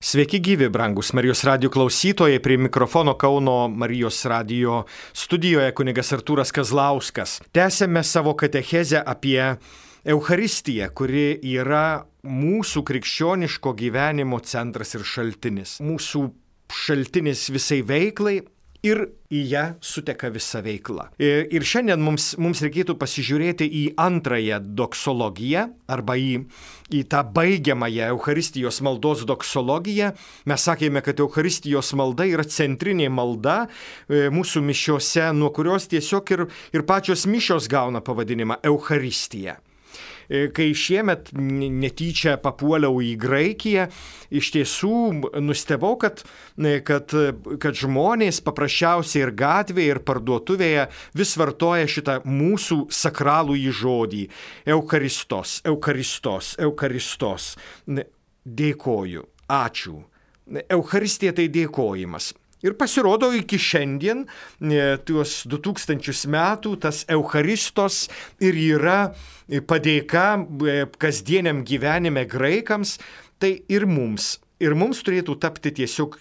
Sveiki gyvi, brangus Marijos radijo klausytojai, prie mikrofono Kauno Marijos radijo studijoje kunigas Artūras Kazlauskas. Tęsėme savo katechezę apie Eucharistiją, kuri yra mūsų krikščioniško gyvenimo centras ir šaltinis. Mūsų šaltinis visai veiklai ir į ją suteka visa veikla. Ir šiandien mums reikėtų pasižiūrėti į antrąją doksologiją arba į tą baigiamąją Eucharistijos maldos doksologiją. Mes sakėme, kad Eucharistijos malda yra centrinė malda mūsų mišiose, nuo kurios tiesiog ir pačios mišios gauna pavadinimą Eucharistija. Kai šiemet netyčia papuoliau į Graikiją, iš tiesų nustebau, kad žmonės paprasčiausiai ir gatvėje, ir parduotuvėje vis vartoja šitą mūsų sakralųjį žodį. Eucharistos, Eucharistos, Eucharistos. Dėkoju, ačiū. Eucharistija tai dėkojimas. Ir pasirodo iki šiandien, tuos 2000 metų, tas Eucharistos ir yra padėka kasdieniam gyvenime graikams, tai ir mums turėtų tapti tiesiog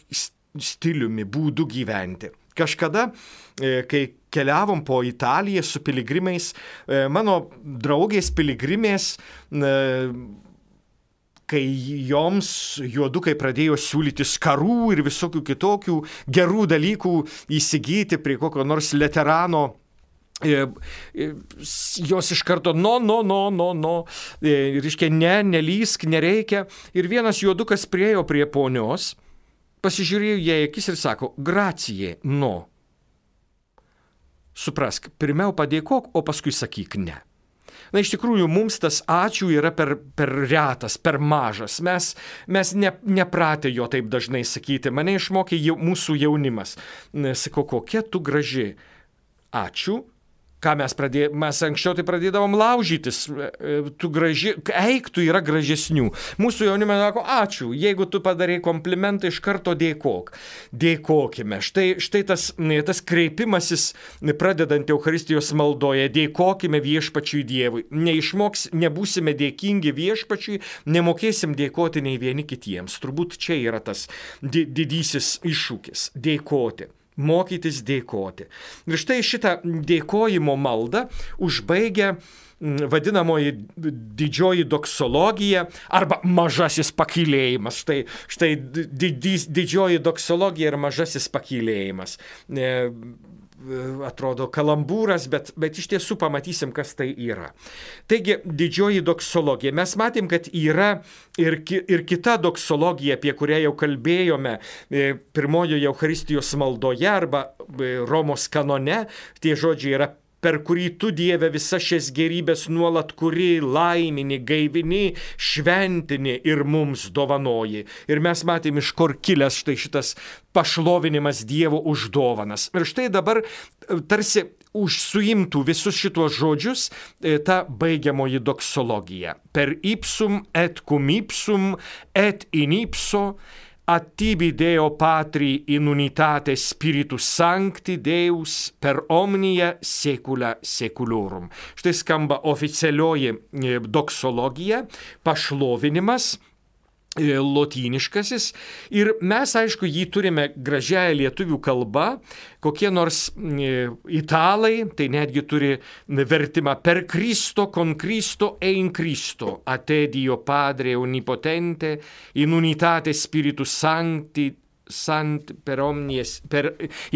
stiliumi, būdu gyventi. Kažkada, kai keliavom po Italiją su piligrimais, mano draugės piligrimės, kai joms juodukai pradėjo siūlyti skarų ir visokių kitokių gerų dalykų įsigyti prie kokio nors leterano, jos iš karto reiškia, nelysk, nereikia. Ir vienas juodukas priėjo prie ponios, pasižiūrėjo jai akis ir sako, gracie, no. Suprask, pirmiau padėkok, o paskui sakyk ne. Na, iš tikrųjų, mums tas ačiū yra per retas, per mažas. Mes nepratę jo taip dažnai sakyti. Mane išmokė mūsų jaunimas. Sako, kokia tu graži. Ačiū. Ką mes anksčiau tai pradėdavom laužytis. Tu graži, eik, tu yra gražesnių. Mūsų jaunimas sako, ačiū. Jeigu tu padarai komplimentą, iš karto dėkok. Dėkokime. Štai tas kreipimasis, pradedant Eucharistijos maldoje, dėkokime viešpačiui Dievui. Nebūsime dėkingi viešpačiui, nemokėsim dėkoti nei vieni kitiems. Turbūt čia yra tas didysis iššūkis – dėkoti. Mokytis dėkoti. Ir štai šitą dėkojimo maldą užbaigia vadinamoji didžioji doksologija arba mažasis pakylėjimas. Štai didžioji doksologija ir mažasis pakylėjimas. Atrodo kalambūras, bet iš tiesų pamatysim, kas tai yra. Taigi, didžioji doksologija. Mes matėm, kad yra ir kita doksologija, apie kurią jau kalbėjome pirmojoje Eucharistijos maldoje arba Romos kanone. Tie žodžiai yra per kurį tu, Dieve, visas šias gerybės nuolat kuri, laimini, gaivini, šventini ir mums dovanoji. Ir mes matėm, iš kur kilęs štai šitas pašlovinimas Dievo už dovanas. Ir štai dabar tarsi suimtų visus šitos žodžius ta baigiamoji doksologija. Per ipsum et cum ipsum et in ipso at tibi Deo Patri in unitate Spiritus Sancti Deus per omnia secula seculorum. Štai skamba oficialioji doksologija, pašlovinimas, lotyniškasis, ir mes, aišku, jį turime gražiąją lietuvių kalbą, kokie nors italai, tai netgi turi vertimą per Cristo, con Cristo e in Cristo, a te Dio Padre Onnipotente, in unitate Spiritus Sancti, per omnies,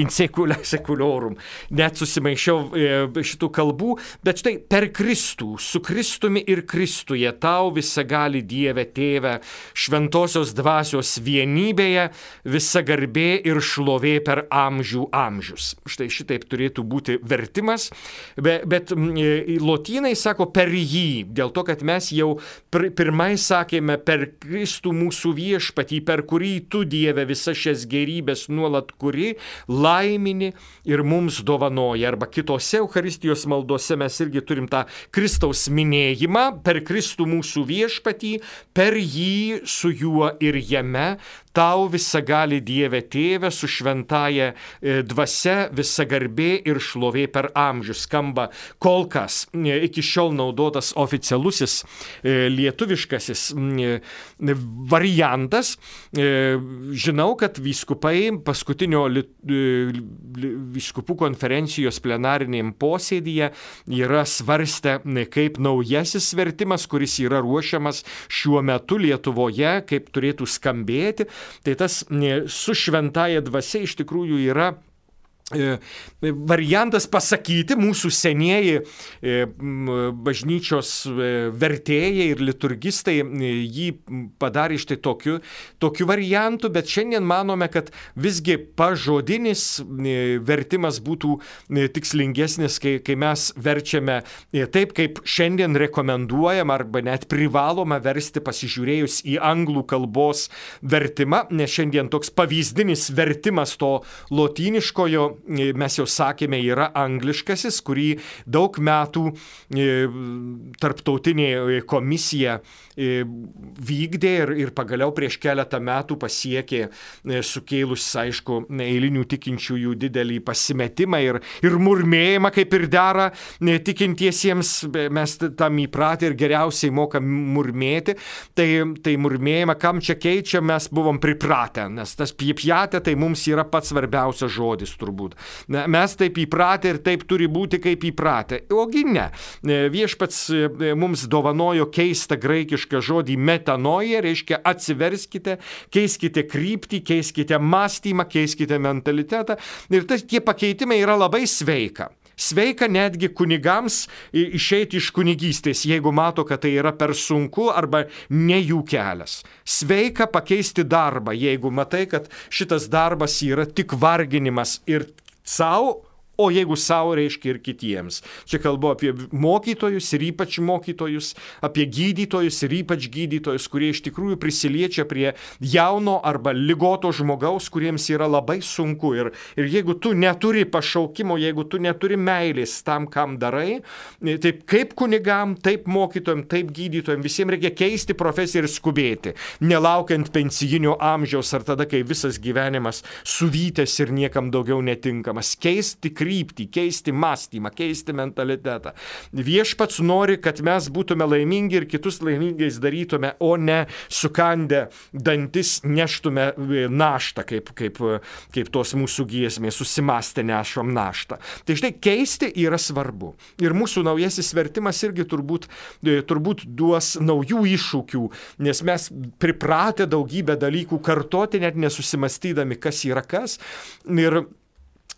in secula seculorum. Net susimaišiau šitų kalbų, bet štai per Kristų, su Kristumi ir Kristuje, tau visagali Dieve Tėve, šventosios dvasios vienybėje, visa garbė ir šlovė per amžių amžius. Štai šitaip turėtų būti vertimas, bet lotynai sako per jį, dėl to, kad mes jau pirmai sakėme per Kristų mūsų viešpatį, per kurį tu, Dieve, visa šias gerybės nuolat kuri, laimini ir mums dovanoja. Arba kitose Eucharistijos maldose mes irgi turim tą Kristaus minėjimą, per Kristų mūsų viešpatį, per jį, su juo ir jame, tau visagali Dieve Tėve su šventaja dvasia visa garbė ir šlovė per amžius. Skamba kol kas iki šiol naudotas oficialusis lietuviškasis variantas. Žinau, kad vyskupai paskutinio vyskupų konferencijos plenarinėm posėdyje yra svarstę, kaip naujasis vertimas, kuris yra ruošiamas šiuo metu Lietuvoje, kaip turėtų skambėti. Tai tas su šventaja dvasia iš tikrųjų yra variantas pasakyti, mūsų senieji bažnyčios vertėjai ir liturgistai jį padarė štai tokiu variantu, bet šiandien manome, kad visgi pažodinis vertimas būtų tikslingesnis, kai mes verčiame taip, kaip šiandien rekomenduojam arba net privaloma versti pasižiūrėjus į anglų kalbos vertimą, nes šiandien toks pavyzdinis vertimas to lotyniškojo, mes jau sakėme, yra angliškasis, kurį daug metų tarptautinė komisija vykdė ir pagaliau prieš keletą metų pasiekė, sukėlus, aišku, eilinių tikinčiųjų didelį pasimetimą ir murmėjimą, kaip ir dera tikintiesiems. Mes tam įpratę ir geriausiai mokam murmėti. Tai murmėjimą, kam čia keičia, mes buvom pripratę, nes tas pjepjatė tai mums yra pats svarbiausias žodis turbūt. Mes taip įpratę ir taip turi būti, kaip įpratę. Ogi ne. Viešpats mums dovanojo keistą graikišką žodį metanoja, reiškia atsiverskite, keiskite kryptį, keiskite mąstymą, keiskite mentalitetą. Ir tie pakeitimai yra labai sveika. Sveika netgi kunigams išeiti iš kunigystės, jeigu mato, kad tai yra per sunku arba ne jų kelias. Sveika pakeisti darbą, jeigu matai, kad šitas darbas yra tik varginimas ir sau, o jeigu sau, reiškia ir kitiems. Čia kalbu apie mokytojus ir ypač mokytojus, apie gydytojus ir ypač gydytojus, kurie iš tikrųjų prisiliečia prie jauno arba ligoto žmogaus, kuriems yra labai sunku. Ir jeigu tu neturi pašaukimo, jeigu tu neturi meilės tam, kam darai, taip kaip kunigam, taip mokytojam, taip gydytojam, visiems reikia keisti profesiją ir skubėti, nelaukiant pensijinio amžiaus ar tada, kai visas gyvenimas suvytęs ir niekam daugiau netinkamas. Keisti kryptį, keisti mąstymą, keisti mentalitetą. Viešpats nori, kad mes būtume laimingi ir kitus laimingais darytume, o ne sukandę dantis neštume naštą, kaip tos mūsų giesmės, susimastę nešom naštą. Tai štai keisti yra svarbu. Ir mūsų naujasis vertimas irgi turbūt duos naujų iššūkių, nes mes pripratę daugybę dalykų kartoti, net nesusimastydami, kas yra kas.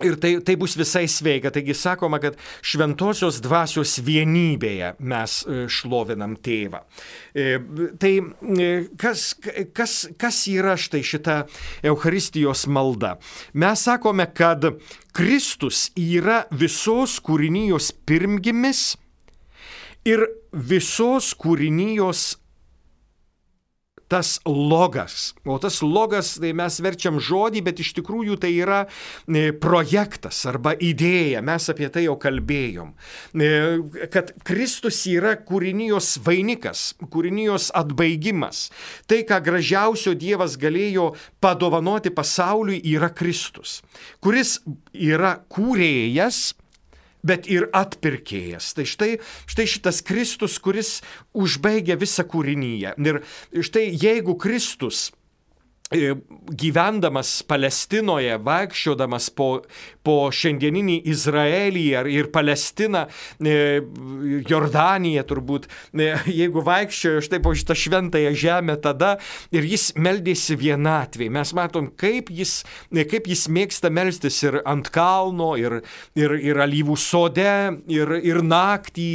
Ir tai bus visai sveika. Taigi sakoma, kad šventosios dvasios vienybėje mes šlovinam tėvą. Tai kas yra štai šita Eucharistijos malda? Mes sakome, kad Kristus yra visos kūrinijos pirmgimis ir visos kūrinijos tas logas. O tas logas, tai mes verčiam žodį, bet iš tikrųjų tai yra projektas arba idėja. Mes apie tai jau kalbėjom. Kad Kristus yra kūrinijos vainikas, kūrinijos atbaigimas. Tai, ką gražiausio Dievas galėjo padovanoti pasauliui, yra Kristus, kuris yra kūrėjas, bet ir atpirkėjas. Tai štai šitas Kristus, kuris užbaigia visą kūriniją. Ir štai jeigu Kristus gyvendamas Palestinoje, vaikščiodamas po šiandieninį Izraelį ir Palestiną, Jordaniją turbūt, jeigu vaikščiojo štai po šitą šventąją žemę tada ir jis meldėsi vienatvėj. Mes matom, kaip jis mėgsta melstis ir ant kalno, ir alyvų sode, ir naktį,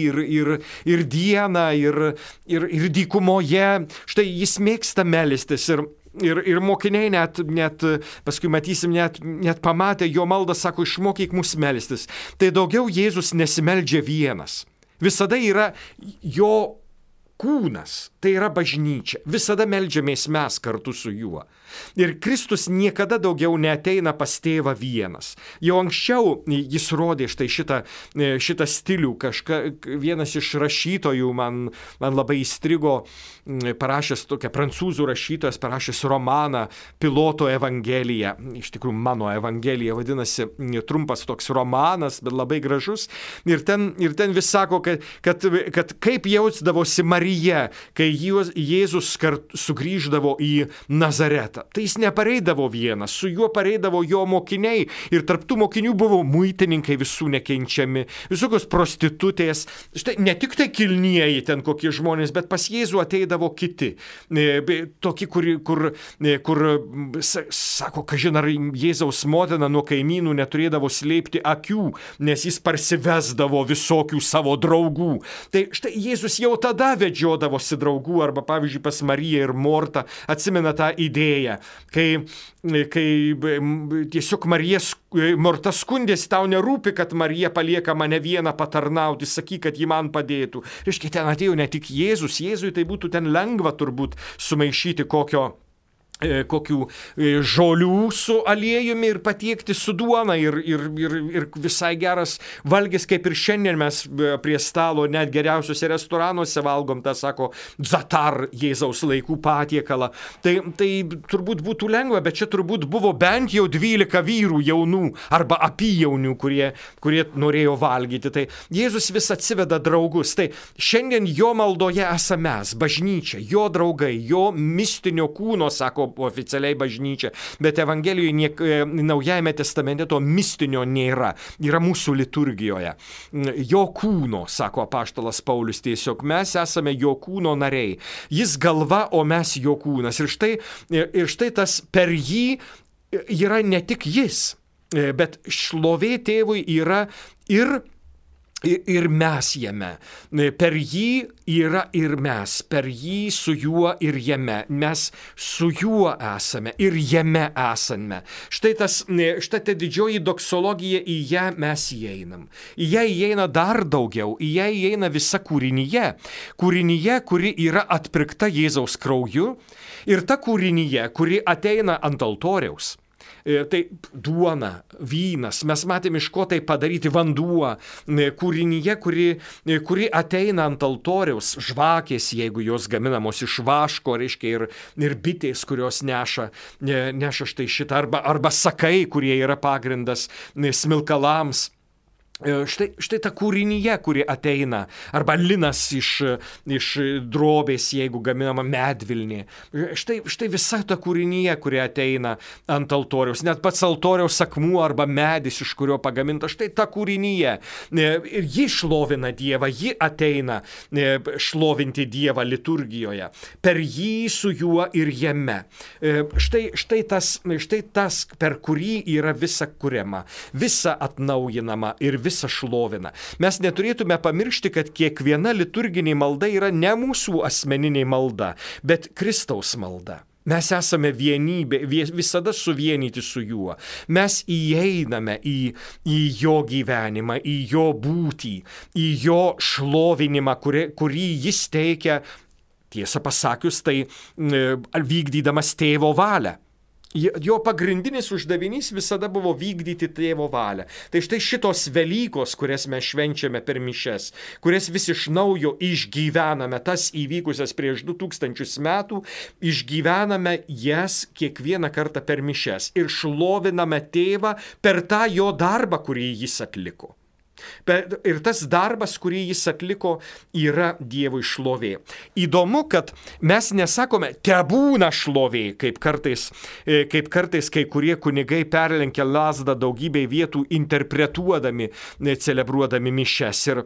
ir dieną, ir dykumoje. Štai jis mėgsta melstis ir mokiniai net paskui matysim, net pamatę jo maldą, sako, išmokyk mus melstis. Tai daugiau Jėzus nesimeldžia vienas. Visada yra jo kūnas, tai yra bažnyčia. Visada meldžiamės mes kartu su juo. Ir Kristus niekada daugiau neateina pas tėvą vienas. Jau anksčiau jis rodė štai šitą stilių. Vienas iš rašytojų man labai įstrigo, parašęs tokią prancūzų rašytojas, parašęs romaną Piloto Evangelija. Iš tikrųjų, mano Evangelija vadinasi, trumpas toks romanas, bet labai gražus. Ir ten vis sako, kad kaip jausdavosi Marija, kai Jėzus sugrįždavo į Nazaretą. Tai jis nepareidavo vienas, su juo pareidavo jo mokiniai ir tarp tų mokinių buvo muitininkai visų nekenčiami, visokios prostitutės, štai ne tik tai kilnieji ten kokie žmonės, bet pas Jėzų ateidavo kiti, tokie, kur sako, kažin ar Jėzaus motina nuo kaimynų neturėdavo slėpti akių, nes jis parsivesdavo visokių savo draugų. Tai štai Jėzus jau tada vedžiodavosi draugų, arba pavyzdžiui pas Mariją ir Mortą, atsimena tą idėją, kai tiesiog Morta skundėsi, tau nerūpi, kad Marija palieka mane vieną patarnauti, sakyk, kad ji man padėtų. Reiškia, ten atėjo ne tik Jėzus, Jėzui tai būtų ten lengva turbūt sumaišyti kokių žolių su aliejumi ir patiekti su duona ir visai geras valgis, kaip ir šiandien mes prie stalo net geriausiuose restoranuose valgom, tą sako Zatar Jėzaus laikų patiekalą. Tai turbūt būtų lengva, bet čia turbūt buvo bent jau 12 vyrų jaunų arba apyjaunių, kurie norėjo valgyti. Tai Jėzus vis atsiveda draugus. Tai šiandien jo maldoje esame mes, bažnyčia, jo draugai, jo mistinio kūno, sako oficialiai bažnyčia, bet Evangelijoje Naujajame testamente to mistinio nėra, yra mūsų liturgijoje. Jo kūno, sako apaštalas Paulius, tiesiog mes esame jo kūno nariai. Jis galva, o mes jo kūnas. Ir štai tas per jį yra ne tik jis, bet šlovė tėvui yra ir mes jame. Per jį yra ir mes, per jį su juo ir jame. Mes su juo esame ir jame esame. Štai ta didžioji doksologija, į ją mes įeinam. Į ją įeina dar daugiau, į ją įeina visa kūrinyje. Kūrinyje, kuri yra atpirkta Jėzaus krauju, ir ta kūrinyje, kuri ateina ant altoriaus. Tai duona, vynas, mes matėme, iš ko tai padaryti, vanduo, kūrinyje, kuri ateina ant altoriaus, žvakės, jeigu jos gaminamos iš vaško, reiškia, ir bitės, kurios neša štai šitą, arba sakai, kurie yra pagrindas smilkalams. Štai ta kūrinyje, kuri ateina, arba linas iš drobės, jeigu gaminama medvilnė. Štai visa ta kūrinyje, kuri ateina ant altoriaus, net pats altoriaus akmuo arba medis, iš kurio pagaminta, štai ta kūrinyje. Ir ji šlovina Dievą, ji ateina šlovinti Dievą liturgijoje. Per jį, su juo ir jame. Štai tas, per kurį yra visa kuriama, visa atnaujinama ir visa šlovina. Mes neturėtume pamiršti, kad kiekviena liturginė malda yra ne mūsų asmeninė malda, bet Kristaus malda. Mes esame vienybė, visada suvienyti su juo. Mes įeiname į jo gyvenimą, į jo būtį, į jo šlovinimą, kurį jis teikia, tiesą pasakius, tai vykdydamas tėvo valią. Jo pagrindinis uždavinys visada buvo vykdyti tėvo valią. Tai štai šitos Velykos, kurias mes švenčiame per mišias, kurias vis iš naujo išgyvename, tas įvykusias prieš 2000 metų, išgyvename jas kiekvieną kartą per mišias ir šloviname tėvą per tą jo darbą, kurį jis atliko. Ir tas darbas, kurį jis atliko, yra Dievui šlovė. Įdomu, kad mes nesakome tebūna šlovė, kaip kartais kai kurie kunigai perlenkia lazdą daugybei vietų interpretuodami, celebruodami mišias. Ir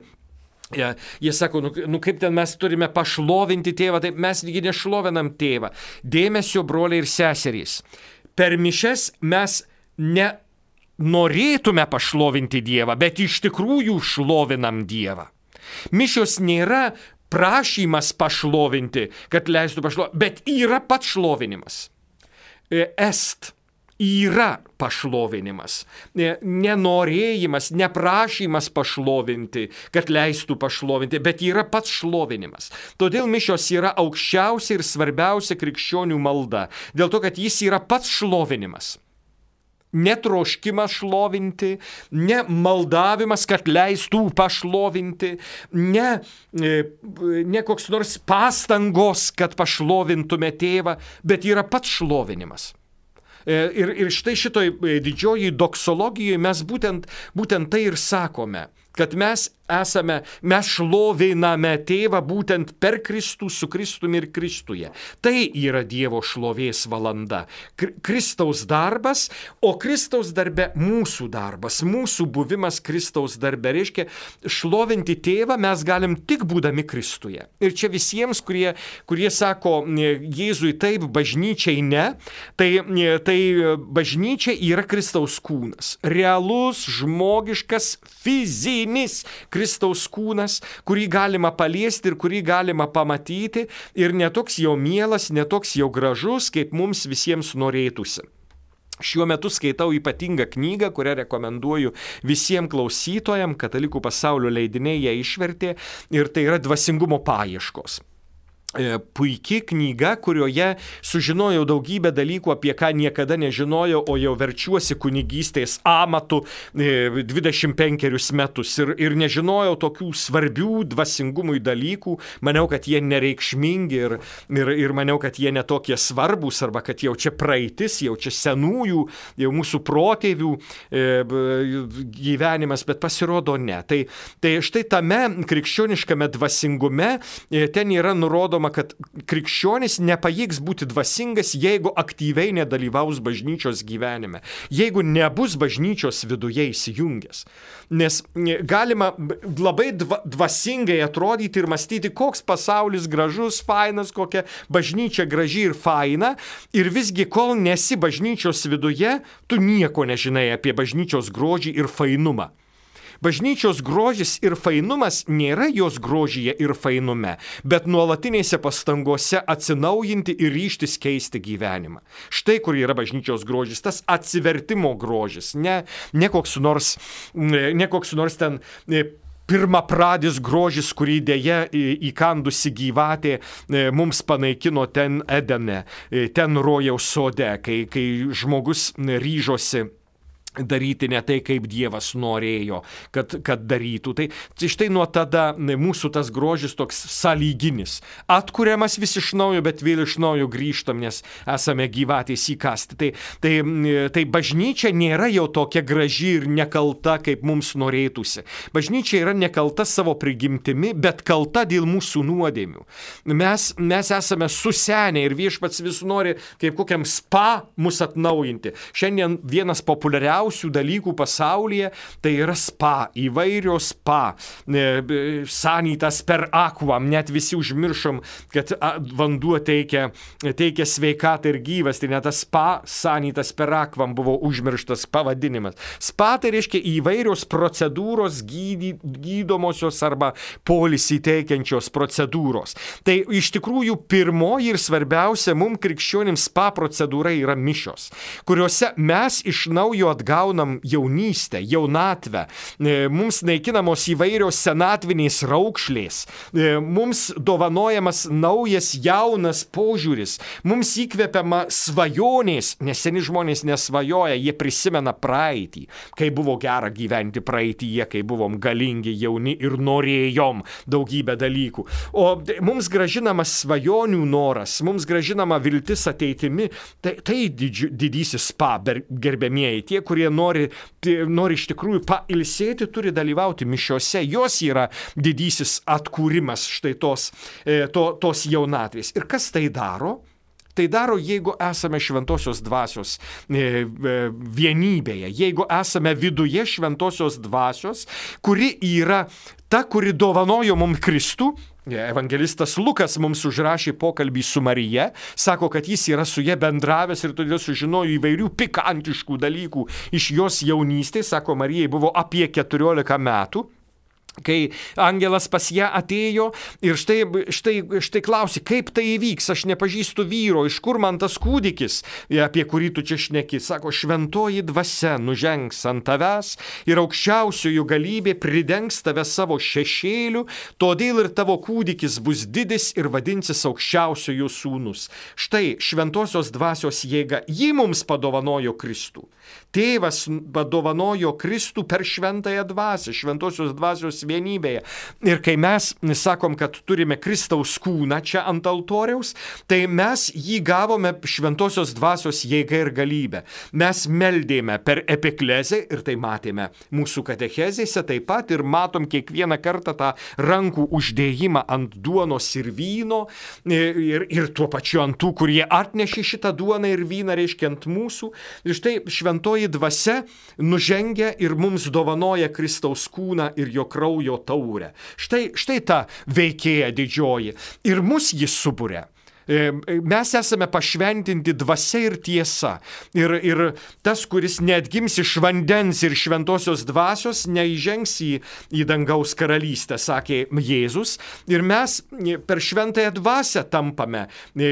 jie sako, kaip ten mes turime pašlovinti tėvą, taip mes lygiai nešlovinam tėvą. Dėmesio, broliai ir seserys. Per mišias mes norėtume pašlovinti Dievą, bet iš tikrųjų šlovinam Dievą. Mišios nėra prašymas pašlovinti, kad leistų pašlovinti, bet yra pats šlovinimas. yra pašlovinimas. Nenorėjimas, neprašymas pašlovinti, kad leistų pašlovinti, bet yra pats šlovinimas. Todėl mišios yra aukščiausia ir svarbiausia krikščionių malda, dėl to, kad jis yra pats šlovinimas. Netroškimas šlovinti, ne maldavimas, kad leistų pašlovinti, ne koks nors pastangos, kad pašlovintume tėvą, bet yra pats šlovinimas. Ir štai šitoj didžioji doksologijoje mes būtent tai ir sakome, kad mes šloviname tėvą būtent per Kristų, su Kristumi ir Kristuje. Tai yra Dievo šlovės valanda. Kristaus darbas, o Kristaus darbe mūsų darbas, mūsų buvimas Kristaus darbe. Reiškia, šlovinti tėvą mes galim tik būdami Kristuje. Ir čia visiems, kurie sako Jėzui taip, bažnyčiai ne, tai bažnyčia yra Kristaus kūnas. Realus, žmogiškas, fizinis Kristaus kūnas, kurį galima paliesti ir kurį galima pamatyti, ir netoks jau mielas, netoks jau gražus, kaip mums visiems norėtųsi. Šiuo metu skaitau ypatingą knygą, kurią rekomenduoju visiems klausytojams, Katalikų pasaulio leidiniai ją išvertė, ir tai yra Dvasingumo paieškos. Puiki knyga, kurioje sužinojau daugybę dalykų, apie ką niekada nežinojau, o jau verčiuosi kunigystės amatu 25 metus ir nežinojau tokių svarbių dvasingumui dalykų. Maniau, kad jie nereikšmingi ir maniau, kad jie netokie svarbus, arba kad jau čia praeitis, jau čia senųjų, jau mūsų protėvių gyvenimas, bet pasirodo ne. Tai štai tame krikščioniškame dvasingume ten yra nurodoma, kad krikščionis nepajėgs būti dvasingas, jeigu aktyviai nedalyvaus bažnyčios gyvenime, jeigu nebus bažnyčios viduje įsijungęs. Nes galima labai dvasingai atrodyti ir mąstyti, koks pasaulis gražus, fainas, kokia bažnyčia graži ir faina, ir visgi kol nesi bažnyčios viduje, tu nieko nežinai apie bažnyčios grožį ir fainumą. Bažnyčios grožis ir fainumas nėra jos grožyje ir fainume, bet nuolatinėse pastangose atsinaujinti ir ryžtis keisti gyvenimą. Štai kur yra bažnyčios grožis, tas atsivertimo grožis, ne koks nors ten pirmapradis grožis, kurį dėja įkandusi gyvatė mums panaikino ten Edene, ten rojaus sode, kai žmogus ryžosi daryti ne tai, kaip Dievas norėjo, kad darytų. Tai štai nuo tada mūsų tas grožis toks sąlyginis. Atkuriamas vis iš naujo, bet vėl iš naujo grįžtam, nes esame gyvatės įkasti. Tai bažnyčia nėra jau tokia graži ir nekalta, kaip mums norėtųsi. Bažnyčia yra nekalta savo prigimtimi, bet kalta dėl mūsų nuodėmių. Mes esame susenę ir Viešpats vis nori kaip kokiam spa mus atnaujinti. Šiandien vienas populiariausių dalykų pasaulyje tai yra spa, įvairios spa, sanytas per akvam, net visi užmiršom, kad vanduo teikia sveikatą ir gyvas, tai net tas spa, sanytas per akvam buvo užmirštas pavadinimas. Spa tai reiškia įvairios procedūros, gydomosios arba poilsį teikiančios procedūros. Tai iš tikrųjų pirmoji ir svarbiausia mums krikščionims spa procedūra yra mišios, kuriuose mes iš naujo atgaunam jaunystę, jaunatvę, mums naikinamos įvairios senatvinės raukšlės, mums dovanojamas naujas jaunas požiūris, mums įkvepiama svajonės, nes seni žmonės nesvajoja, jie prisimena praeitį, kai buvo gera gyventi praeityje, kai buvom galingi, jauni ir norėjom daugybę dalykų. O mums grąžinamas svajonių noras, mums grąžinama viltis ateitimi, tai didysis spa, gerbėmieji, tie, kurie nori iš tikrųjų pailsėti, turi dalyvauti mišiose. Jos yra didysis atkūrimas štai tos jaunatvės. Ir kas tai daro? Tai daro, jeigu esame šventosios dvasios vienybėje, jeigu esame viduje šventosios dvasios, kuri yra ta, kuri dovanojo mums Kristų. Evangelistas Lukas mums užrašė pokalbį su Marija, sako, kad jis yra su ja bendravęs ir todėl sužinojo įvairių pikantiškų dalykų iš jos jaunystės. Sako, Marijai buvo apie 14 metų. kai angelas pas ją atėjo ir štai klausi, kaip tai įvyks, aš nepažįstu vyro, iš kur man tas kūdikis, apie kurį tu čia šneki. Sako, šventoji dvasia nužengs ant tavęs ir aukščiausiojo galybė pridengs tave savo šešėliu, todėl ir tavo kūdikis bus didis ir vadinsis aukščiausiojo sūnus. Štai šventosios dvasios jėga, ji mums padovanojo Kristų. Tėvas padovanojo Kristų per šventąją dvasią, šventosios dvasios vienybėje. Ir kai mes sakom, kad turime Kristaus kūną čia ant altoriaus, tai mes jį gavome šventosios dvasios jėga ir galybę. Mes meldėme per epiklezę ir tai matėme mūsų katechezėse taip pat ir matom kiekvieną kartą tą rankų uždėjimą ant duonos ir vyno ir tuo pačiu ant tų, kurie atnešė šitą duoną ir vyną, reiškia ant mūsų. Ir štai šventoji dvasia nužengia ir mums dovanoja Kristaus kūną ir jo kraujo taurę. Štai ta veikėja didžioji. Ir mus jis suburia. Mes esame pašventinti dvasia ir tiesa. Ir tas, kuris neatgims iš vandens ir šventosios dvasios, neįžengs į dangaus karalystę, sakė Jėzus. Ir mes per šventąją dvasią tampame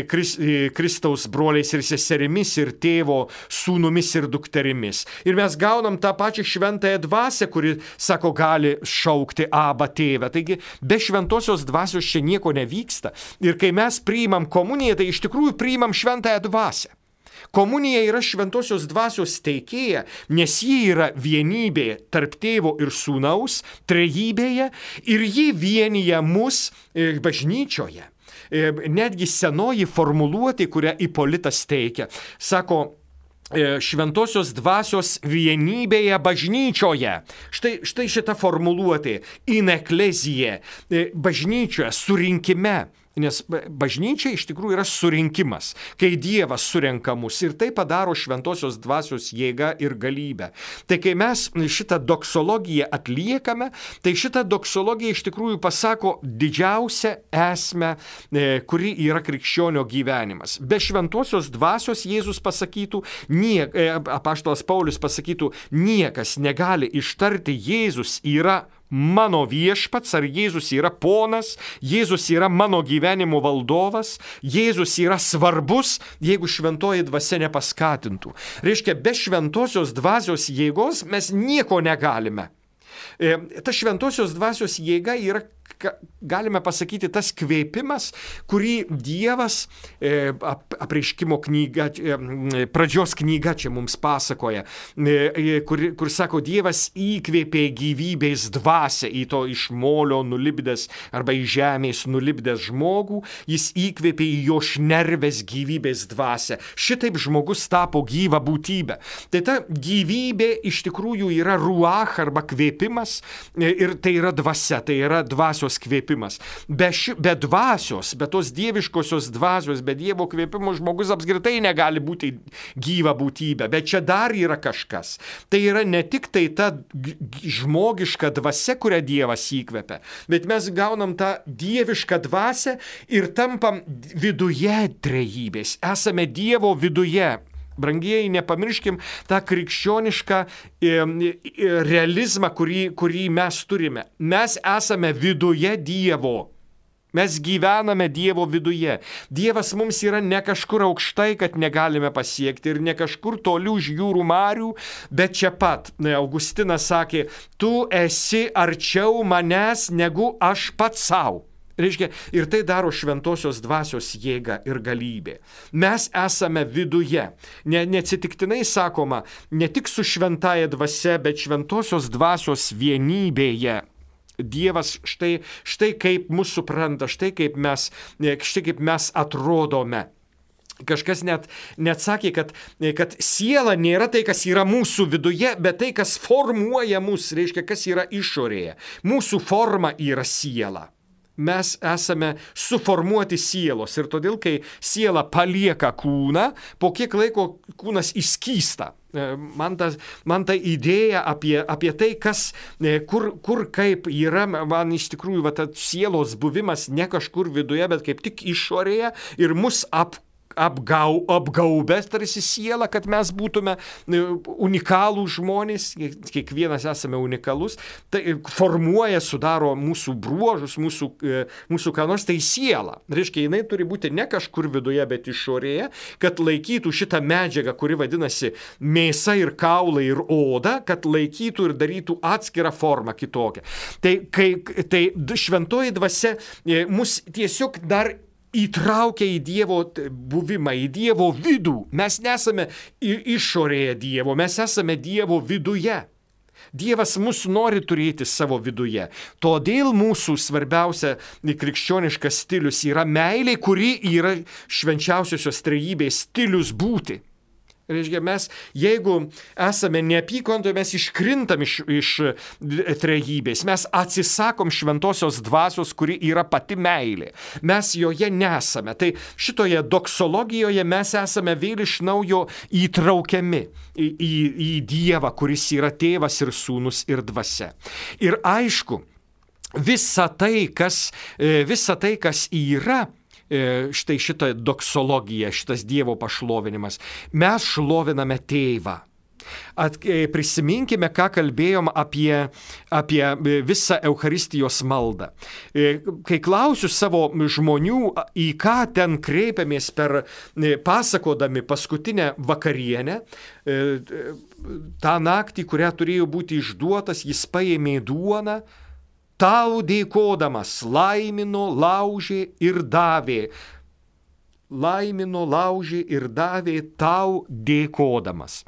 Kristaus broliais ir seserimis ir tėvo sūnumis ir dukterimis. Ir mes gaunam tą pačią šventąją dvasią, kuri, sako, gali šaukti Abba tėvę. Taigi be šventosios dvasios čia nieko nevyksta. Ir kai mes priimam komuniją, tai iš tikrųjų priimam šventąją dvasią. Komunija yra šventosios dvasios teikėja, nes ji yra vienybė tarp tėvo ir sūnaus, trejybėje, ir ji vienyje mus bažnyčioje. Netgi senoji formuluotė, kurią Ipolitas teikia, sako, šventosios dvasios vienybėje bažnyčioje. Štai šita formuluotė, in eklezija, bažnyčioje, surinkime. Nes bažnyčia iš tikrųjų yra surinkimas, kai Dievas surenka mus ir tai padaro šventosios dvasios jėga ir galybė. Tai kai mes šitą doksologiją atliekame, tai šitą doksologiją iš tikrųjų pasako didžiausią esmę, kuri yra krikščionio gyvenimas. Be šventosios dvasios Jėzus pasakytų, apaštalas Paulius pasakytų, niekas negali ištarti Jėzus yra mano viešpats, ar Jėzus yra ponas, Jėzus yra mano gyvenimo valdovas, Jėzus yra svarbus, jeigu šventoji dvasia nepaskatintų. Reiškia, be šventosios dvasios jėgos mes nieko negalime. Ta šventosios dvasios jėga yra, galime pasakyti, tas kvėpimas, kurį Dievas, apreiškimo knyga, pradžios knyga čia mums pasakoja, kur sako, Dievas įkvėpė gyvybės dvasią į to iš molio nulipdęs arba iš žemės nulipdęs žmogų, jis įkvėpė į jo šnerves gyvybės dvasią. Šitaip žmogus tapo gyva būtybė. Tai ta gyvybė iš tikrųjų yra ruach arba kvėpimas ir tai yra dvasia, tai yra dvasios kvėpimas. Be dvasios, be tos dieviškosios dvasios, be Dievo kvėpimo žmogus apskritai negali būti gyva būtybė. Bet čia dar yra kažkas. Tai yra ne tik tai ta žmogiška dvasia, kurią Dievas įkvėpia, bet mes gaunam tą dievišką dvasią ir tampam viduje trejybės. Esame Dievo viduje. Brangieji, nepamirškim tą krikščionišką realizmą, kurį mes turime. Mes esame viduje Dievo. Mes gyvename Dievo viduje. Dievas mums yra ne kažkur aukštai, kad negalime pasiekti, ir ne kažkur toli už jūrų marių, bet čia pat. Augustinas sakė, tu esi arčiau manęs negu aš pats savo. Reiškia, ir tai daro šventosios dvasios jėga ir galybė. Mes esame viduje. Neatsitiktinai sakoma, ne tik su šventaja dvasia, bet šventosios dvasios vienybėje. Dievas štai kaip mus supranta, štai kaip mes atrodome. Kažkas net sakė, kad siela nėra tai, kas yra mūsų viduje, bet tai, kas formuoja mus, reiškia, kas yra išorėje. Mūsų forma yra siela. Mes esame suformuoti sielos ir todėl, kai siela palieka kūną, po kiek laiko kūnas išskysta. Man ta idėja apie tai, kur kaip yra, man iš tikrųjų tas sielos buvimas ne kažkur viduje, bet kaip tik išorėje ir mus apgaubęs tarsi sielą, kad mes būtume unikalų žmonės, kiekvienas esame unikalus, tai formuoja, sudaro mūsų bruožus, mūsų ką nors, tai siela. Reiškia, jinai turi būti ne kažkur viduje, bet išorėje, kad laikytų šitą medžiagą, kuri vadinasi mėsa ir kaulai ir oda, kad laikytų ir darytų atskirą formą kitokią. Tai šventoji dvasia mus tiesiog dar įtraukia į Dievo buvimą, į Dievo vidų. Mes nesame išorėje Dievo, mes esame Dievo viduje. Dievas mus nori turėti savo viduje. Todėl mūsų svarbiausia krikščioniškas stilius yra meilė, kuri yra švenčiausiosios trejybės stilius būti. Reiškia, mes, jeigu esame neapykantoje, mes iškrintam iš trejybės, mes atsisakom šventosios dvasios, kuri yra pati meilė. Mes joje nesame. Tai šitoje doksologijoje mes esame vėl iš naujo įtraukiami į Dievą, kuris yra tėvas ir sūnus ir dvasia. Ir aišku, visa tai, kas yra, štai šitą doksologiją, šitas Dievo pašlovinimas. Mes šloviname tėvą. Prisiminkime, ką kalbėjom apie visą Eucharistijos maldą. Kai klausiu savo žmonių, į ką ten kreipiamės per pasakodami paskutinę vakarienę, tą naktį, kurią turėjo būti išduotas, jis paėmė duoną, tau dėkodamas, laimino, laužė ir davė. Laimino, laužė ir davė tau dėkodamas.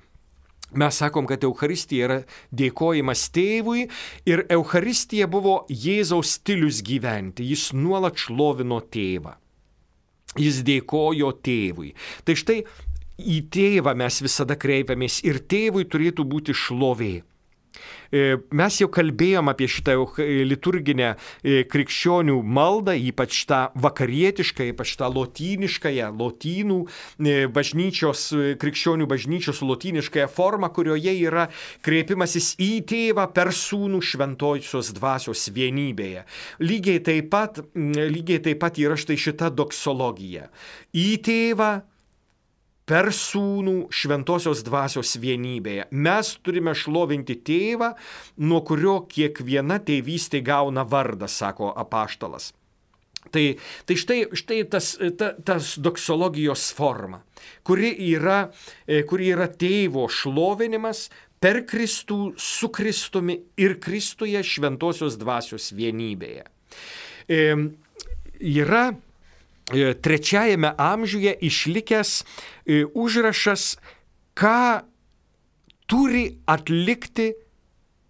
Mes sakom, kad Eucharistija yra dėkojimas tėvui ir Eucharistija buvo Jėzaus stilius gyventi. Jis nuolat šlovino tėvą. Jis dėkojo tėvui. Tai štai į tėvą mes visada kreipiamės ir tėvui turėtų būti šlovė. Mes jau kalbėjom apie šitą liturginę krikščionių maldą, ypač tą vakarietišką, ypač tą lotyniškąją, lotynų bažnyčios, krikščionių bažnyčios lotyniškąją formą, kurioje yra kreipimasis į tėvą per sūnų šventosios dvasios vienybėje. Lygiai taip pat yra štai šita doksologija. Į tėvą per sūnų šventosios dvasios vienybėje. Mes turime šlovinti tėvą, nuo kurio kiekviena tėvystė gauna vardą, sako apaštalas. Tai štai tas doksologijos forma, kuri yra tėvo šlovinimas per Kristų, su Kristumi ir Kristuje šventosios dvasios vienybėje. Yra trečiajame amžiuje išlikęs užrašas, ką turi atlikti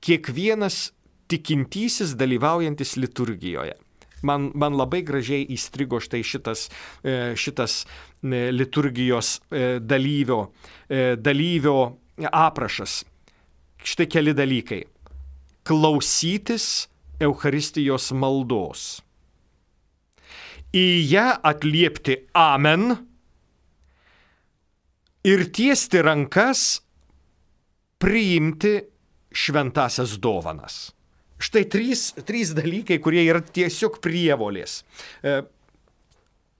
kiekvienas tikintysis dalyvaujantis liturgijoje. Man labai gražiai įstrigo štai šitas liturgijos dalyvio aprašas. Štai keli dalykai. Klausytis Eucharistijos maldos. Į ją atliepti amen ir tiesti rankas, priimti šventasias dovanas. Štai trys dalykai, kurie yra tiesiog prievolės.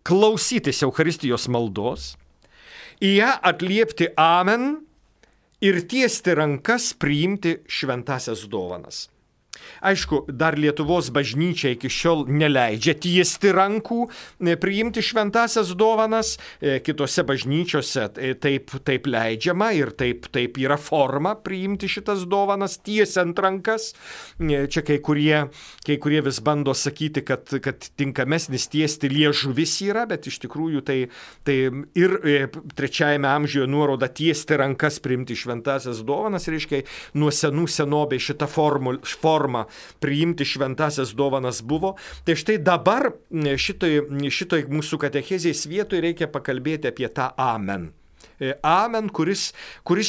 Klausytis Eucharistijos maldos, į ją atliepti amen ir tiesti rankas, priimti šventasias dovanas. Aišku, dar Lietuvos bažnyčia iki šiol neleidžia tiesti rankų, priimti šventasias dovanas, kitose bažnyčiose taip leidžiama ir taip yra forma priimti šitas dovanas, tiesiant rankas. Čia kai kurie vis bando sakyti, kad tinkamesnis tiesti liežuvis yra, bet iš tikrųjų tai ir trečiajame amžiuje nuoroda tiesti rankas, priimti šventasias dovanas, reiškia, nuo senų senovės šita forma priimti šventasias dovanas buvo. Tai štai dabar šitoj mūsų katechezės vietoje reikia pakalbėti apie tą amen. Amen, kuris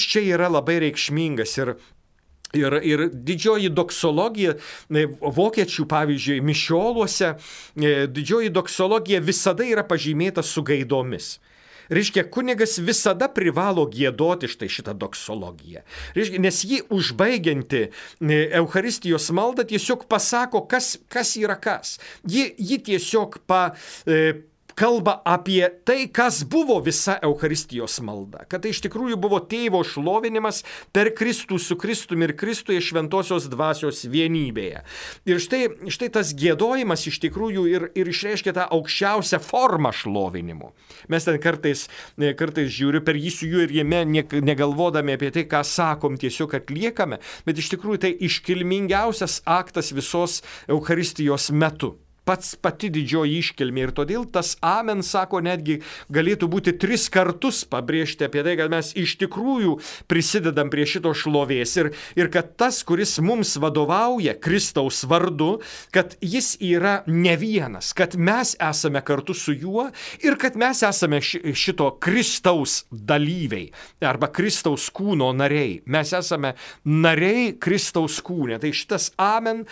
čia yra labai reikšmingas ir didžioji doksologija, vokiečių, pavyzdžiui, mišioluose, didžioji doksologija visada yra pažymėta su gaidomis. Reiškia, kunigas visada privalo giedoti štai šitą doksologiją. Reiškia, nes ji užbaigianti Eucharistijos maldą tiesiog pasako, kas yra kas. Ji tiesiog kalba apie tai, kas buvo visa Eucharistijos malda. Kad tai iš tikrųjų buvo tėvo šlovinimas per Kristų su Kristumi ir Kristuje šventosios dvasios vienybėje. Ir štai tas giedojimas iš tikrųjų ir išreiškia tą aukščiausią formą šlovinimo. Mes ten kartais žiūriu per jį su juo ir jame negalvodami apie tai, ką sakom, tiesiog atliekame, bet iš tikrųjų tai iškilmingiausias aktas visos Eucharistijos metu. Pati didžioji iškilmė ir todėl tas amen, sako, netgi galėtų būti 3 kartus pabrėžti apie tai, kad mes iš tikrųjų prisidedam prie šito šlovės ir kad tas, kuris mums vadovauja Kristaus vardu, kad jis yra ne vienas, kad mes esame kartu su juo ir kad mes esame šito Kristaus dalyviai arba Kristaus kūno nariai. Mes esame nariai Kristaus kūne. Tai šitas amen,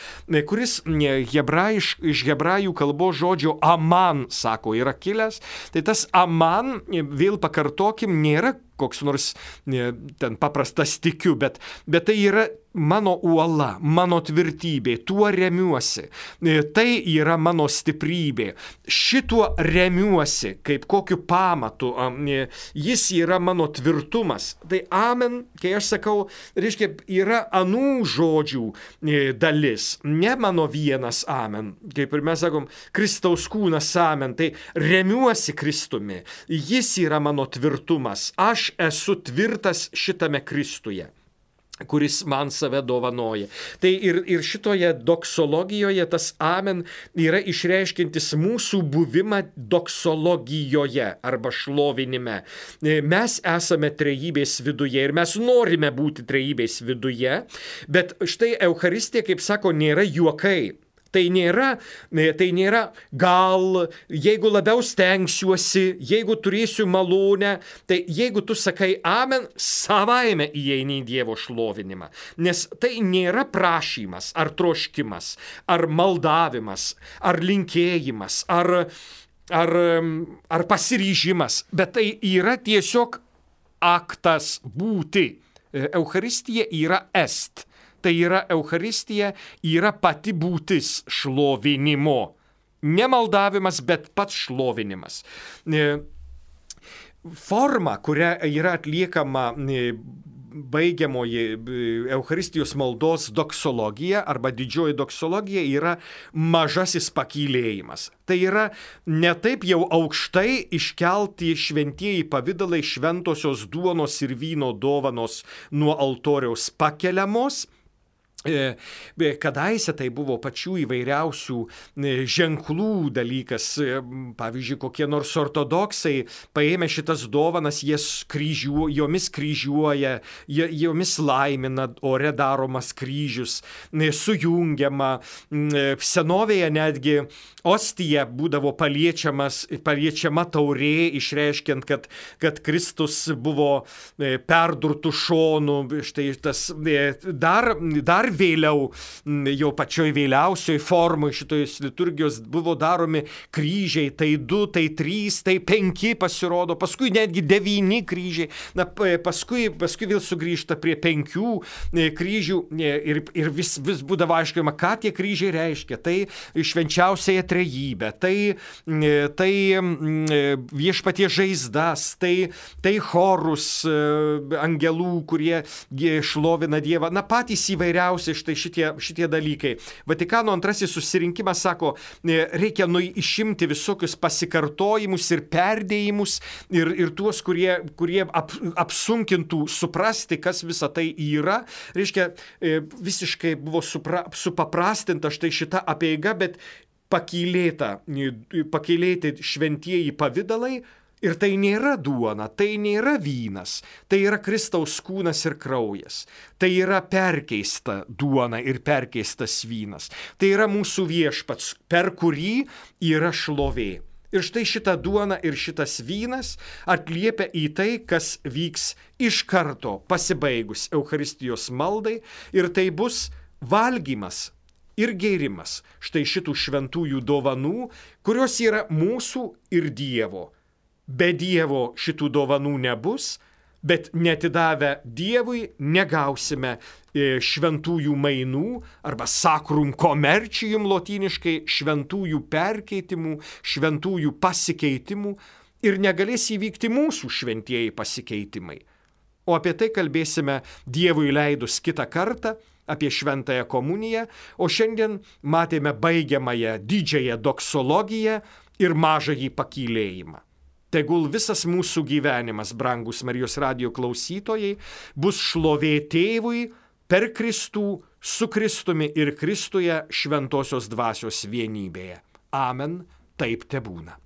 kuris iš hebrajų kalbos žodžio aman, sako, yra kilęs, tai tas aman, vėl pakartokim, nėra koks nors ten paprastas tikiu, bet tai yra mano uola, mano tvirtybė, tuo remiuosi, tai yra mano stiprybė, šituo remiuosi kaip kokiu pamatu, jis yra mano tvirtumas. Tai amen, kai aš sakau, reiškia, yra anų žodžių dalis, ne mano vienas amen, kaip ir mes sakom, Kristaus kūnas amen, tai remiuosi Kristumi, jis yra mano tvirtumas, aš esu tvirtas šitame Kristuje, kuris man save dovanoja. Tai ir šitoje doksologijoje tas amen yra išreiškintis mūsų buvimą doksologijoje arba šlovinime. Mes esame trejybės viduje ir mes norime būti trejybės viduje, bet štai Eucharistija, kaip sako, nėra juokai. Tai nėra gal, jeigu labiau stengsiuosi, jeigu turėsiu malonę, tai jeigu tu sakai amen, savaime įeini į Dievo šlovinimą. Nes tai nėra prašymas, ar troškimas, ar maldavimas, ar linkėjimas, ar pasiryžimas, bet tai yra tiesiog aktas būti. Eucharistija yra est. Tai yra Eucharistija, yra pati būtis šlovinimo. Ne maldavimas, bet pats šlovinimas. Forma, kuria yra atliekama baigiamoji Eucharistijos maldos doksologija arba didžioji doksologija, yra mažasis pakylėjimas. Tai yra ne taip jau aukštai iškelti šventieji pavidalai, šventosios duonos ir vyno dovanos nuo altoriaus pakeliamos. Kadaise tai buvo pačių įvairiausių ženklų dalykas. Pavyzdžiui, kokie nors ortodoksai paėmė šitas dovanas, jomis kryžiuoja, jomis laimina, ore daromas kryžius, sujungiama. Senovėje netgi ostija būdavo paliečiama taurė, išreiškiant, kad Kristus buvo perdurtų šonų. Štai tas dar vėliau, jau pačioj vėliausioj formoj šitos liturgijos buvo daromi kryžiai, tai 2, tai 3, tai 5 pasirodo, paskui netgi 9 kryžiai, paskui vėl sugrįžta prie 5 kryžių ir vis būdavo aiškima, ką tie kryžiai reiškia. Tai švenčiausiąją trejybę, tai viešpaties žaizdas, tai chorus angelų, kurie šlovina Dievą, patys įvairiausi štai šitie dalykai. Vatikano antrasis susirinkimas sako, reikia išimti visokius pasikartojimus ir perdėjimus ir tuos, kurie apsunkintų suprasti, kas visa tai yra. Reiškia, visiškai buvo supaprastinta štai šita apeiga, bet pakylėti šventieji pavidalai. Ir tai nėra duona, tai nėra vynas, tai yra Kristaus kūnas ir kraujas. Tai yra perkeista duona ir perkeistas vynas. Tai yra mūsų viešpats, per kurį yra šlovė. Ir štai šita duona ir šitas vynas atliepia į tai, kas vyks iš karto pasibaigus Eucharistijos maldai, ir tai bus valgymas ir gėrimas štai šitų šventųjų dovanų, kurios yra mūsų ir Dievo. Be Dievo šitų dovanų nebus, Bet netidavę Dievui negausime šventųjų mainų arba sacrum commercium lotyniškai, šventųjų perkeitimų, šventųjų pasikeitimų ir negalės įvykti mūsų šventieji pasikeitimai. O apie tai kalbėsime Dievui leidus kitą kartą, apie šventąją komuniją, o šiandien matėme baigiamąją didžiąją doksologiją ir mažąjį pakylėjimą. Tegul visas mūsų gyvenimas, brangus Marijos radijo klausytojai, bus šlovė Tėvui per Kristų, su Kristumi ir Kristuje šventosios dvasios vienybėje. Amen, taip tebūna.